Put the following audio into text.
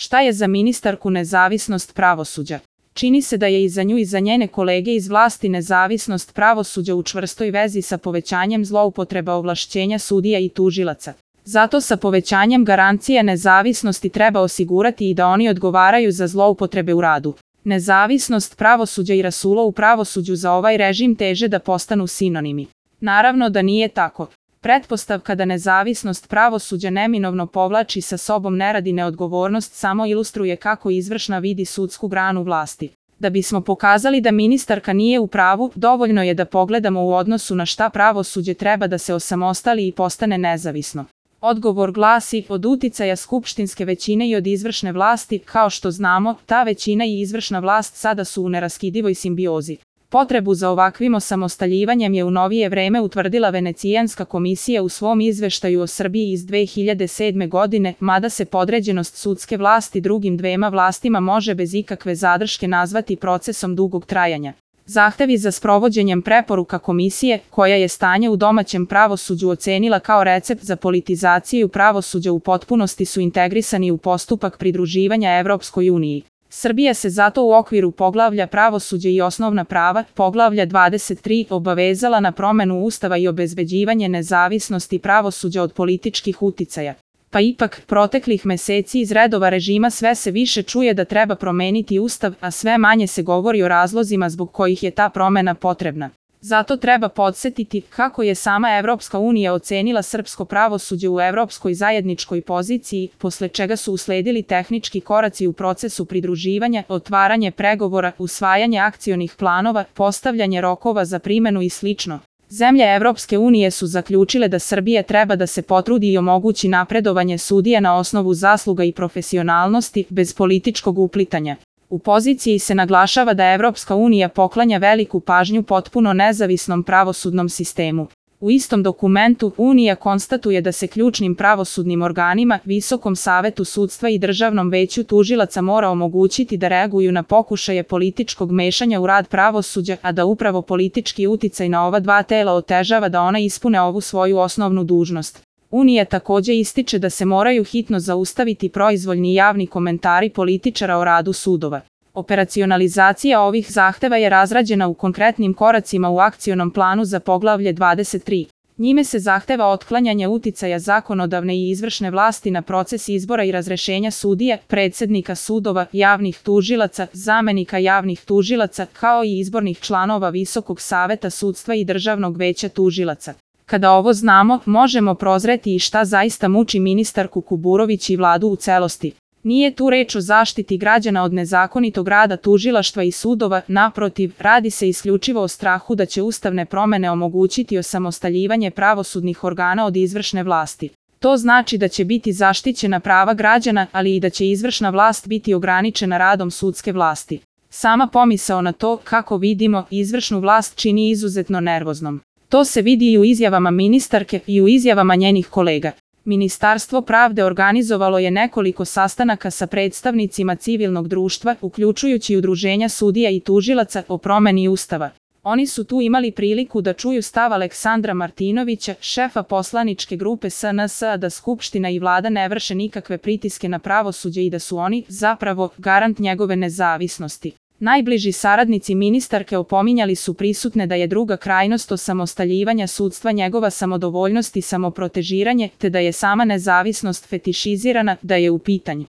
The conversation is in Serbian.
Šta je za ministarku nezavisnost pravosuđa? Čini se da je i za nju i za njene kolege iz vlasti nezavisnost pravosuđa u čvrstoj vezi sa povećanjem zloupotreba ovlašćenja sudija i tužilaca. Zato sa povećanjem garancije nezavisnosti treba osigurati i da oni odgovaraju za zloupotrebe u radu. Nezavisnost pravosuđa i rasulo u pravosuđu za ovaj režim teže da postanu sinonimi. Naravno da nije tako. Pretpostavka da nezavisnost pravosuđa neminovno povlači sa sobom nerad i neodgovornost samo ilustruje kako izvršna vidi sudsku granu vlasti. Da bismo pokazali da ministarka nije u pravu, dovoljno je da pogledamo u odnosu na šta pravosuđe treba da se osamostali i postane nezavisno. Odgovor glasi, od uticaja skupštinske većine i od izvršne vlasti, kao što znamo, ta većina i izvršna vlast sada su u neraskidivoj simbiozi. Potrebu za ovakvim osamostaljivanjem je u novije vreme utvrdila Venecijanska komisija u svom izveštaju o Srbiji iz 2007. godine, mada se podređenost sudske vlasti drugim dvema vlastima može bez ikakve zadrške nazvati procesom dugog trajanja. Zahtevi za sprovođenjem preporuka komisije, koja je stanje u domaćem pravosuđu ocenila kao recept za politizaciju pravosuđa u potpunosti su integrisani u postupak pridruživanja Evropskoj uniji. Srbija se zato u okviru poglavlja pravosuđe i osnovna prava, poglavlja 23, obavezala na promenu Ustava i obezbeđivanje nezavisnosti pravosuđa od političkih uticaja. Pa ipak, proteklih meseci iz redova režima sve se više čuje da treba promeniti Ustav, a sve manje se govori o razlozima zbog kojih je ta promena potrebna. Zato treba podsjetiti kako je sama Evropska unija ocenila srpsko pravosuđe u evropskoj zajedničkoj poziciji, posle čega su usledili tehnički koraci u procesu pridruživanja, otvaranje pregovora, usvajanje akcionih planova, postavljanje rokova za primenu i slično. Zemlje Evropske unije su zaključile da Srbija treba da se potrudi i omogući napredovanje sudija na osnovu zasluga i profesionalnosti, bez političkog uplitanja. U poziciji se naglašava da Evropska unija poklanja veliku pažnju potpuno nezavisnom pravosudnom sistemu. U istom dokumentu, Unija konstatuje da se ključnim pravosudnim organima, Visokom savetu sudstva i Državnom veću tužilaca mora omogućiti da reaguju na pokušaje političkog mešanja u rad pravosuđa, a da upravo politički uticaj na ova dva tela otežava da ona ispune ovu svoju osnovnu dužnost. Unija takođe ističe da se moraju hitno zaustaviti proizvoljni javni komentari političara o radu sudova. Operacionalizacija ovih zahteva je razrađena u konkretnim koracima u akcionom planu za poglavlje 23. Njime se zahteva otklanjanje uticaja zakonodavne i izvršne vlasti na proces izbora i razrešenja sudija, predsednika sudova, javnih tužilaca, zamenika javnih tužilaca, kao i izbornih članova Visokog saveta sudstva i Državnog veća tužilaca. Kada ovo znamo, možemo prozreti i šta zaista muči ministarku Kuburović i vladu u celosti. Nije tu reč o zaštiti građana od nezakonitog rada tužilaštva i sudova, naprotiv, radi se isključivo o strahu da će ustavne promene omogućiti osamostaljivanje pravosudnih organa od izvršne vlasti. To znači da će biti zaštićena prava građana, ali i da će izvršna vlast biti ograničena radom sudske vlasti. Sama pomisao na to, kako vidimo, izvršnu vlast čini izuzetno nervoznom. To se vidi i u izjavama ministarke i u izjavama njenih kolega. Ministarstvo pravde organizovalo je nekoliko sastanaka sa predstavnicima civilnog društva, uključujući udruženja sudija i tužilaca o promeni Ustava. Oni su tu imali priliku da čuju stav Aleksandra Martinovića, šefa poslaničke grupe SNS, da Skupština i vlada ne vrše nikakve pritiske na pravosuđe i da su oni, zapravo, garant njegove nezavisnosti. Najbliži saradnici ministarke opominjali su prisutne da je druga krajnost osamostaljivanja sudstva njegova samodovoljnost i samoprotežiranje, te da je sama nezavisnost fetišizirana, da je u pitanju